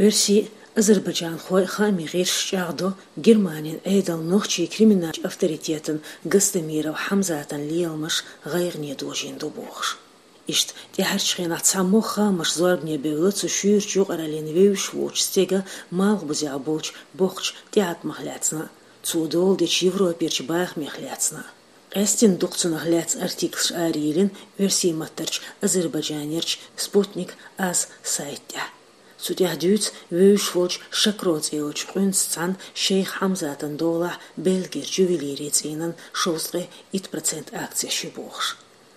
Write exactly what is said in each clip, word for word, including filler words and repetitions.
Оьрсийн, азербайджанхойн хаамийн гӀирсаш чӀагӀдо, Германин Ӏедал нохчийн криминалан авторитетан Гостомиров Хьамзатан леламаш гӀайгӀане дожийна ду бохуш. Иштта тӀаьхьарчу хенахь цхьамогӀа хаамаш зорбане бевлла цу шуьйрачу юкъараллин вевзаш воцучу стеган малхбузехь болчу боккхачу тӀеӀаткъамах лаьцна а, цо дола дечу Европерчу бахамех лаьцна а. Къаьсттина дукха цунах лаьцна артиклаш арайиллина оьрсийн маттарчу Азербайджанерчу Спутник А З сайта тӀехь. Цу тӀехь дуьйцу вевзаш волчу Шакро цӀе йолчу къуьнца цхьаьна Шейх Хьамзатан долахь Бельгерчу ювелирийн цӀийнан шовзткъе итт процент акцеш ю бохуш.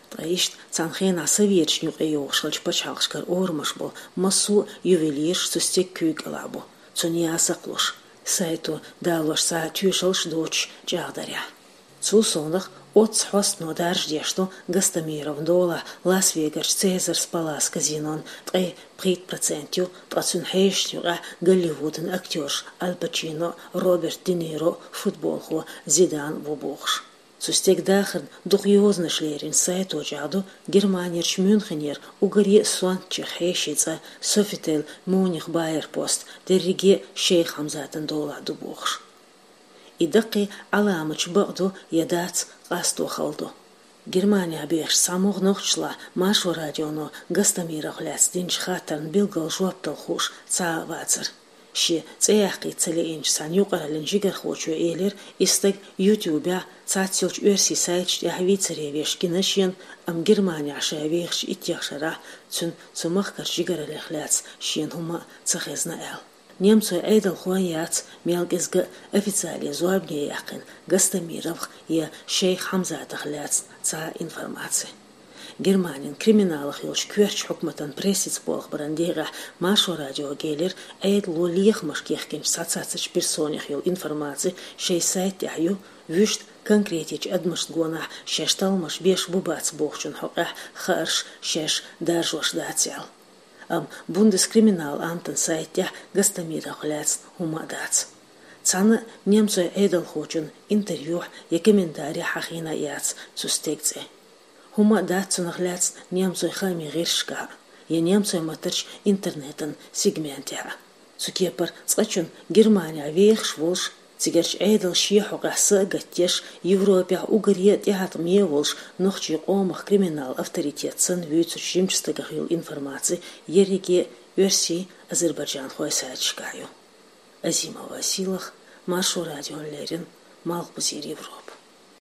Ткъа иштта цхьана хенахь Советашна юкъа йогӀуш хиллачу пачхьалкхашкара орамаш болу массо а ювелирш цу стеган куьйга кӀелахь бу, цунна ясакх луш, сайто далош цхьа а тоьшаллаш доцуш чӀагӀдарехь. Цул совнаха оццу хьостано даржадеш ду Гостомировн долахь Лас-Вегарчу Caesars Palace казинон ткъе пхийтта процент ю, ткъа цуьнан хьешашна юкъахь Голливудан актёраш Аль Пачино а, Роберт Де Ниро а, футболхо Зидан а ву бохуш. Цу стеган дахарна дукха йозанаш леринчу сайто чӀагӀдо, Германерчу Мюнхенера уггаре а сонтачех хьешийн цӀа Софител Мюнихен Байерпост дерриге а Шейх Хьамзатан долахь ду бохуш. И даккхий Ӏаламаташ бакъду я дац, къасто хала ду. Германехь бехачу цхьамогӀа нохчашлахь Маршо радионо Гостомировх лаьцна динчу хаттарна билггал жоп дала хууш цхьа а вацара. Шен цӀе яккхийта ца лиъначу цхьана юкъараллин жигархочо элира, и стаг YouTube-ехь, цхьацца йолчу оьрсийн сайташ тӀехь вийцаре веш гина шена, амма Германехь ша вехачу иттех шарахь цуьнан цу махкарчу жигараллех лаьцна шена хӀума а ца хезна аьлла. Немцойн Ӏедалхойн яц мел кӀезиг а официале зорбане яьккхина Гостомировх я Шейх Хьамзатах лаьцна цхьа а информаци. Германин криминалах йолчу коьртачу хьукматан прессица болх баран декъехь Маршо радиога элира, Ӏедало лехамашка яхкинчу цхьацца цхьацца персонех йолу информаци шайн сайта тӀехь ю, вуьшта конкретечу адамашна гонахь шаьш талламаш беш бу-бац бохучун хьокъехь хаарш шаьш даржош дац аьлла. Амма Бундескриминалан амтан сайта тӀехь Гостомировх лаьцна хӀума а дац. Цхьана а немцойн Ӏедалхочун интервьюхь я комментарехь хьахийна а яц цу стеган цӀе. ХӀума а дац цунах лаьцна немцойн хаамийн гӀирсашкахь а, я немцойн маттарчу интернетан сегментехь а. Цу кепара цкъачунна Германехь вехаш волуш, цигарчу Ӏедалан шен хьокъехь са а гатдеш, Европехь уггаре а тӀеӀаткъаме волуш нохчийн къомах криминалан авторитет санна вуьйцучу жимачу стагах йолу информаци ерриге а оьрсийн, азербайджанхойн сайташкахь ю. Азимова Сийлаха, Маршо радиона леррина, Малхбузера Европа.